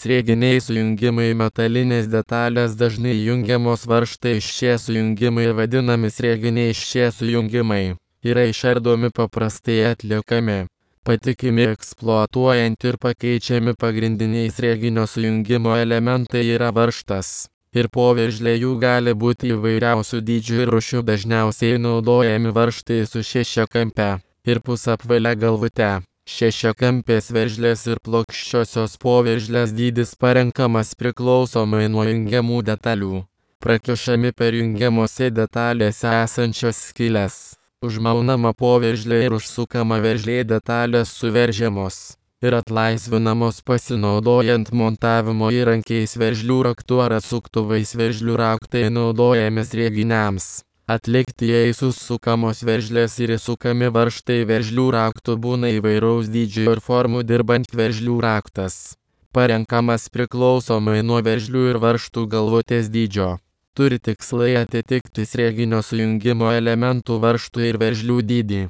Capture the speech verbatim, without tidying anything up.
Srieginiai sujungimai metalinės detalės dažnai jungiamos varžtai. Šie sujungimai vadinami srieginiai. Šie sujungimai yra išardomi, paprastai atliekami, patikimi, eksploatuojant ir pakeičiami. Pagrindiniai srieginio sujungimo elementai yra varžtas ir poveržlė. Jų gali būti įvairiausių dydžių ir rūšių. Dažniausiai naudojami varžtai su šešiakampe ir pusapvalia galvute. Šešiakampės veržlės ir plokščiosios poveržlės dydis parenkamas priklausomai nuo jungiamų detalių. Prakišami per jungiamose detalėse esančias skyles. Užmaunama poveržlė ir užsukama veržlė. Detalės suveržiamos ir atlaisvinamos pasinaudojant montavimo įrankiais, veržlių raktu ar atsuktuvais. Veržlių raktai naudojami srieginiams atlikti, jei susukamos veržlės ir įsukami varžtai. Veržlių raktų būna įvairaus dydžio ir formų. Dirbant veržlių raktas parenkamas priklausomai nuo veržlių ir varžtų galvutės dydžio. Turi tikslai atitikti srieginio sujungimo elementų, varžtų ir veržlių dydį.